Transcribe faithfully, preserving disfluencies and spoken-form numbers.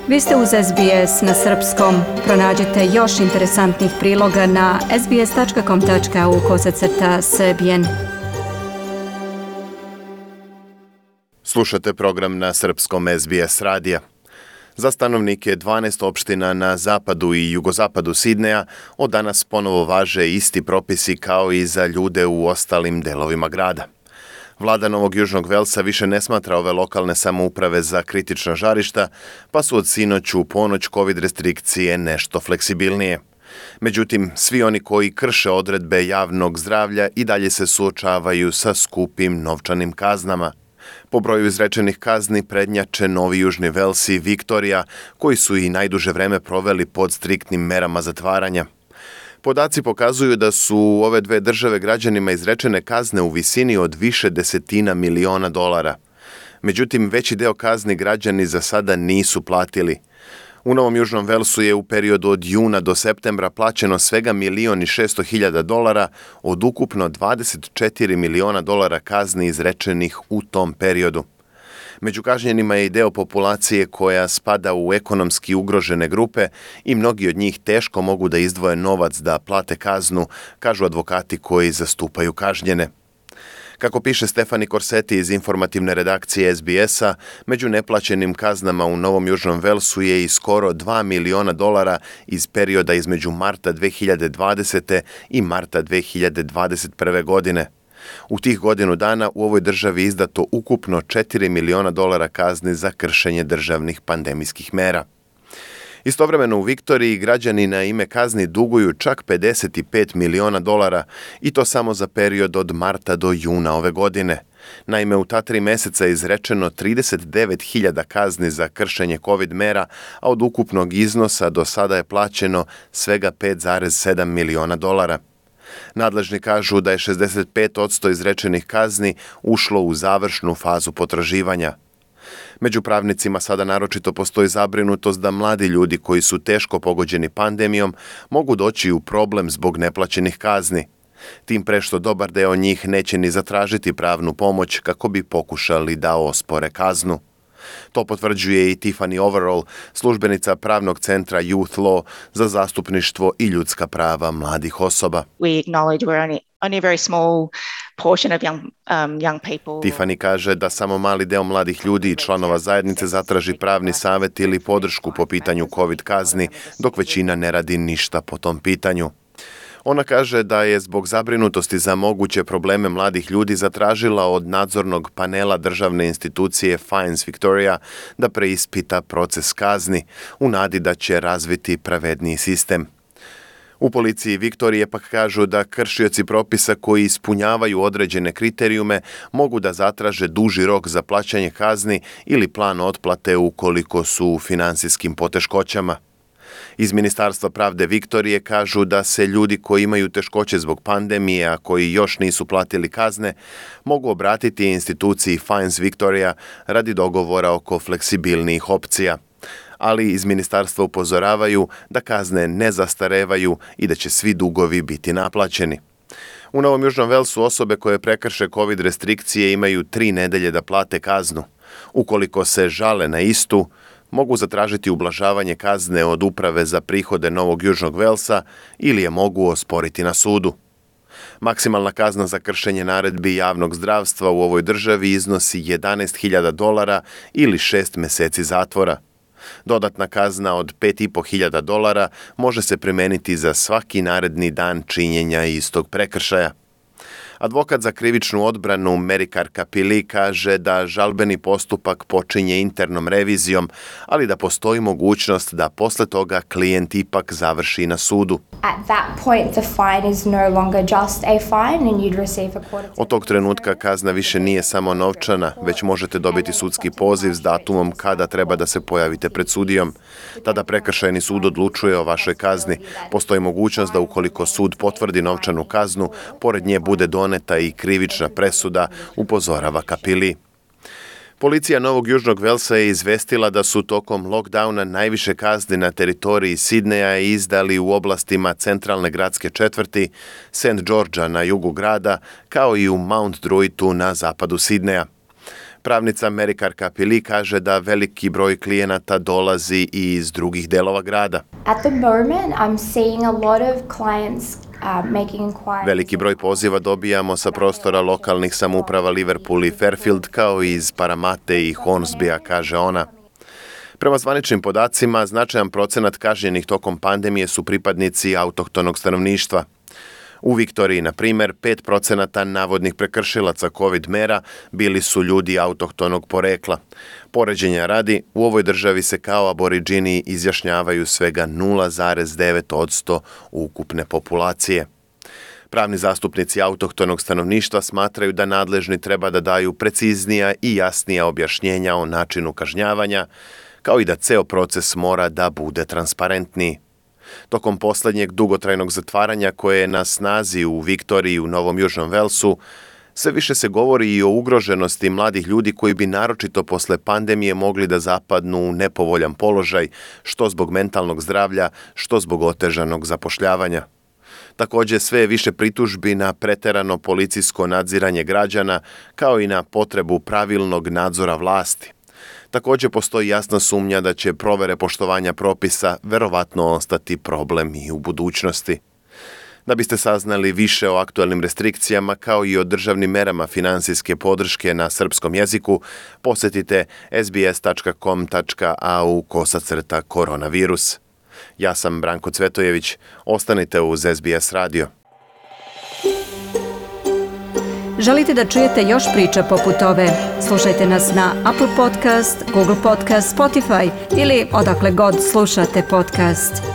Vi ste uz S B S na srpskom. Pronađite još interesantnih priloga na sbs.com.au kosacrta srbijen. Slušate program na srpskom S B S radija. Za stanovnike dvanaest opština na zapadu i jugozapadu Sidneja od danas ponovo važe isti propisi kao i za ljude u ostalim delovima grada. Vlada Novog Južnog Velsa više ne smatra ove lokalne samouprave za kritična žarišta, pa su od sinoć u ponoć COVID restrikcije nešto fleksibilnije. Međutim, svi oni koji krše odredbe javnog zdravlja i dalje se suočavaju sa skupim novčanim kaznama. Po broju izrečenih kazni prednjače Novi Južni Vels i Viktorija, koji su i najduže vreme proveli pod striktnim merama zatvaranja. Podaci pokazuju da su u ove dve države građanima izrečene kazne u visini od više desetina miliona dolara. Međutim, veći deo kazni građani za sada nisu platili. U Novom Južnom Velsu je u periodu od juna do septembra plaćeno svega milion i šesto hiljada dolara od ukupno dvadeset četiri miliona dolara kazni izrečenih u tom periodu. Među kažnjenima je i deo populacije koja spada u ekonomski ugrožene grupe i mnogi od njih teško mogu da izdvoje novac da plate kaznu, kažu advokati koji zastupaju kažnjene. Kako piše Stefani Korseti iz informativne redakcije S B S-a, među neplaćenim kaznama u Novom Južnom Velsu je i skoro dva miliona dolara iz perioda između marta dve hiljade dvadesete. i marta dve hiljade dvadeset prve. godine. U tih godinu dana u ovoj državi izdato ukupno četiri miliona dolara kazni za kršenje državnih pandemijskih mera. Istovremeno u Viktoriji građani na ime kazni duguju čak pedeset pet miliona dolara i to samo za period od marta do juna ove godine. Naime, u ta tri meseca je izrečeno trideset devet hiljada kazni za kršenje COVID mera, a od ukupnog iznosa do sada je plaćeno svega pet zarez sedam miliona dolara. Nadležni kažu da je šezdeset pet posto izrečenih kazni ušlo u završnu fazu potraživanja. Među pravnicima sada naročito postoji zabrinutost da mladi ljudi koji su teško pogođeni pandemijom mogu doći u problem zbog neplaćenih kazni. Tim pre što dobar deo njih neće ni zatražiti pravnu pomoć kako bi pokušali da ospore kaznu. To potvrđuje i Tiffany Overall, službenica pravnog centra Youth Law za zastupništvo i ljudska prava mladih osoba. We acknowledge we're only, only a very small portion of young, um, young people. Tiffany kaže da samo mali deo mladih ljudi i članova zajednice zatraži pravni savjet ili podršku po pitanju COVID kazni, dok većina ne radi ništa po tom pitanju. Ona kaže da je zbog zabrinutosti za moguće probleme mladih ljudi zatražila od nadzornog panela državne institucije Fines Victoria da preispita proces kazni u nadi da će razviti pravedniji sistem. U policiji Viktorije pak kažu da kršioci propisa koji ispunjavaju određene kriterijume mogu da zatraže duži rok za plaćanje kazni ili plan otplate ukoliko su u finansijskim poteškoćama. Iz Ministarstva pravde Viktorije kažu da se ljudi koji imaju teškoće zbog pandemije, a koji još nisu platili kazne, mogu obratiti instituciji Fines Victoria radi dogovora oko fleksibilnijih opcija. Ali iz ministarstva upozoravaju da kazne ne zastarevaju i da će svi dugovi biti naplaćeni. U Novom Južnom Velsu osobe koje prekrše COVID restrikcije imaju tri nedelje da plate kaznu. Ukoliko se žale na istu, mogu zatražiti ublažavanje kazne od Uprave za prihode Novog Južnog Velsa ili je mogu osporiti na sudu. Maksimalna kazna za kršenje naredbi javnog zdravstva u ovoj državi iznosi jedanaest hiljada dolara ili šest meseci zatvora. Dodatna kazna od pet i po hiljada dolara može se primeniti za svaki naredni dan činjenja istog prekršaja. Advokat za krivičnu odbranu Merikar Kapili kaže da žalbeni postupak počinje internom revizijom, ali da postoji mogućnost da posle toga klijent ipak završi na sudu. At that point the fine is no longer just a fine and you'd receive a court. Od tog trenutka kazna više nije samo novčana, već možete dobiti sudski poziv s datumom kada treba da se pojavite pred sudijom. Tada prekršajni sud odlučuje o vašoj kazni. Postoji mogućnost da ukoliko sud potvrdi novčanu kaznu, pored nje bude doneta i krivična presuda, upozorava Kapili. Policija Novog Južnog Velsa je izvestila da su tokom lockdowna najviše kazni na teritoriji Sidneja izdali u oblastima centralne gradske četvrti, Saint Georgea na jugu grada, kao i u Mount Druittu na zapadu Sidneja. Pravnica Mary Karkapili kaže da veliki broj klijenata dolazi i iz drugih delova grada. At the moment, I'm seeing a lot of clients uh, making inquiries. Veliki broj poziva dobijamo sa prostora lokalnih samouprava Liverpool i Fairfield, kao i iz Paramate i Hornsbya, kaže ona. Prema zvaničnim podacima, značajan procenat kažnjenih tokom pandemije su pripadnici autohtonog stanovništva. U Viktoriji, na primjer, pet procenata navodnih prekršilaca COVID mera bili su ljudi autohtonog porekla. Poređenja radi, u ovoj državi se kao aboriđini izjašnjavaju svega nula zarez devet posto ukupne populacije. Pravni zastupnici autohtonog stanovništva smatraju da nadležni treba da daju preciznija i jasnija objašnjenja o načinu kažnjavanja, kao i da ceo proces mora da bude transparentniji. Tokom poslednjeg dugotrajnog zatvaranja koje je na snazi u Viktoriji i u Novom Južnom Velsu, sve više se govori i o ugroženosti mladih ljudi koji bi naročito posle pandemije mogli da zapadnu u nepovoljan položaj, što zbog mentalnog zdravlja, što zbog otežanog zapošljavanja. Također sve je više pritužbi na preterano policijsko nadziranje građana, kao i na potrebu pravilnog nadzora vlasti. Također postoji jasna sumnja da će provere poštovanja propisa verovatno ostati problem i u budućnosti. Da biste saznali više o aktualnim restrikcijama kao i o državnim merama finansijske podrške na srpskom jeziku, posjetite s b s tačka com tačka a u kosacrta koronavirus. Ja sam Branko Cvetojević. Ostanite uz S B S radio. Želite da čujete još priča poput ove? Slušajte nas na Apple Podcast, Google Podcast, Spotify ili odakle god slušate podcast.